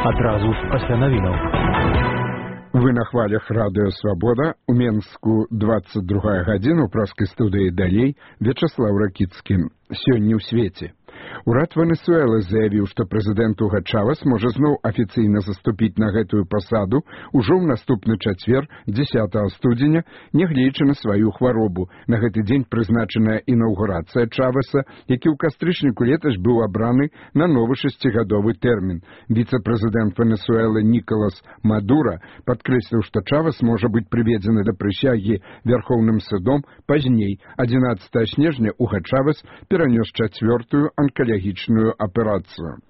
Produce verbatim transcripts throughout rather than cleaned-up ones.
адразу ж пасля навінаў. Вы на хвалях радыё «Свабода». У Менску двадцать другая гадзіна, у праскай студыі далей Вячаслав Ракіцкі. Сёння ў свеце. Урад Венесуэлы заявіў, што прэзідэнт Уга Чавес можа зноў афіцыйна заступіць на гэтую пасаду ўжо ў наступны чацвер, дзесятага студзеня, нягледзячы на сваю хваробу. На гэты дзень прызначаная інаўгурацыя Чавеса, які ў кастрычніку летась быў абраны на новы шасцігадовы тэрмін. Віцэ-прэзідэнт Венесуэлы Нікалас Мадура падкрэсліў, што Чавес можа быць прыведзены да прысягі Вярхоўным судом пазней. адзінаццатага снежня Уга Чавес перанёс чацвёртую онкалагічную аперацыю.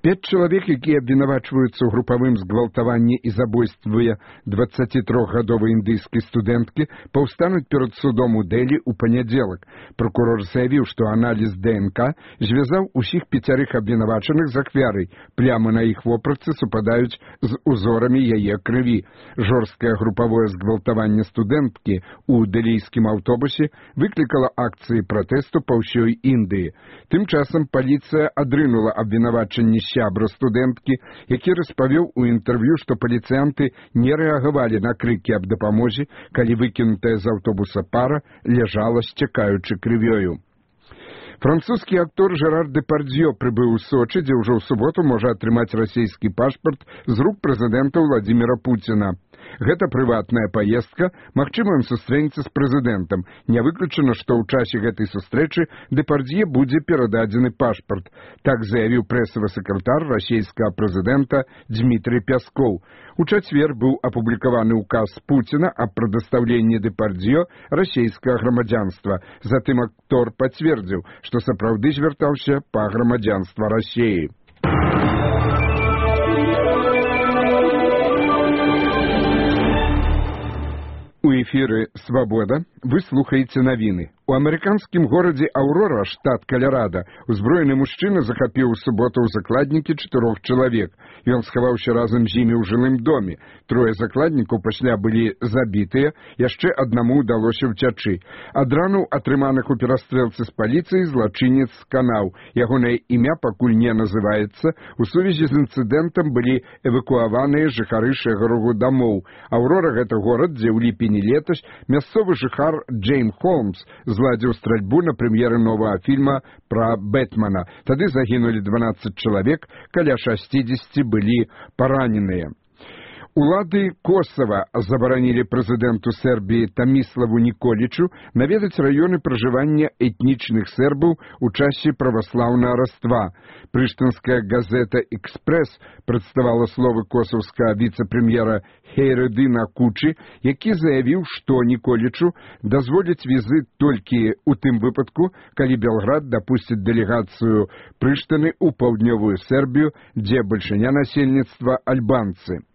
Пяць чалавек, якія абвінавачваюцца ў групавым згвалтаванні і забойстве дваццацітрохгадовай індыйскай студэнткі, паўстануць перад судом у Дэлі ў панядзелак. Пракурор заявіў, што аналіз ДНК звязаў усіх пяцярых абвінавачаных з ахвярай. Плямы на іх вопратцы супадаюць з узорамі яе крыві. Жорсткае групавое згвалтаванне студэнткі ў дэлійскім аўтобусе выклікала акцыі пратэсту па ўсёй Індыі. Тым часам паліцыя адрынула абвінавачанні сябра студэнткі, які распавёў у інтэрв'ю, што паліцыянты не рэагавалі на крыкі аб дапамозе, калі выкінутая з аўтобуса пара ляжала, сцякаючы крывёю. Французскі актор Жерар Дэпардзьё прыбыў у Сочы, дзе ўжо ў суботу можа атрымаць расійскі пашпарт з рук прэзідэнта Владзіміра Пуціна. Гэта прыватная паездка, магчыма, ён сустрэнецца з прэзідэнтам. Не выключана, што ў часе гэтай сустрэчы Дэпардзье будзе перададзены пашпарт. Так заявіў прэсавы сакратар расійскага прэзідэнта Дмітрый Пяскоў. У чацвер быў апублікаваны ўказ Пуціна аб прадастаўленні Дэпардзье расійскага грамадзянства. Затым актор пацвердзіў, што сапраўды звяртаўся па грамадзянства Расіі. У эфіры «Свабода» вы слухаеце навіны. У амерыканскім горадзе Аўрора, штат Каларадо, узброены мужчына захапіў у суботу ў закладнікі чатырох чалавек. Ён схаваўся разам з імі ў жылым доме. Трое закладнікаў пасля былі забітыя, яшчэ аднаму ўдалося ўцячы. Ад ранаў, атрыманых у перастрэлцы з паліцыяй, злачынец сканаў. Ягонае імя пакуль не называецца. У сувязі з інцыдэнтам былі эвакуаваныя жыхары шэрагу дамоў. Аўрора — гэта горад, дзе ў ліпені летась мясцовы жыхар Джейм Холмс зладзіў стральбу на прэм'еры новага фільма пра Бэтмена. Тады загінулі дванаццаць чалавек, каля шасцідзесяці былі параненыя. Улады Косава забаранілі прэзідэнту Сербіі Таміславу Ніколічу наведаць раёны пражывання этнічных сербаў у часе праваслаўнага раства. Прыштынская газета «Экспрэс» прадставала словы косаўскага віцэ-прэм'ера Хейредына Кучы, які заявіў, што Ніколічу дазволяць візыт толькі ў тым выпадку, калі Белград дапусціць дэлегацыю Прыштыны ў паўднёвую Сербію, дзе бальшыня насельніцтва альбанцы.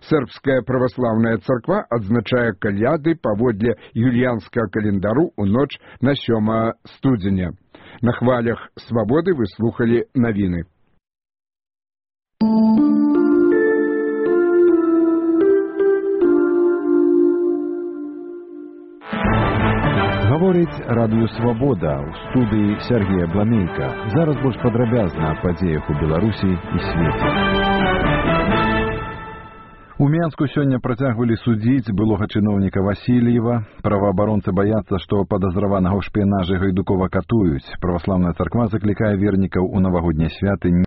Сербская праваслаўная царква адзначае каляды паводле юліянскага календару ў ноч на сёмага студзеня. На хвалях «Свабоды» вы слухалі навіны. Гаворыць радыё «Свабода» ў студыі Сергея Бламейка. Зараз больш падрабязна аб падзеях у Беларусі і свеце. У Менску сёння працягвалі судзіць былога чыноўніка Васильева. Праваабаронцы баяцца, што падазраванага ў шпіянажы Гайдукова катуюць. Праваслаўная царква заклікае вернікаў у навагоднія святы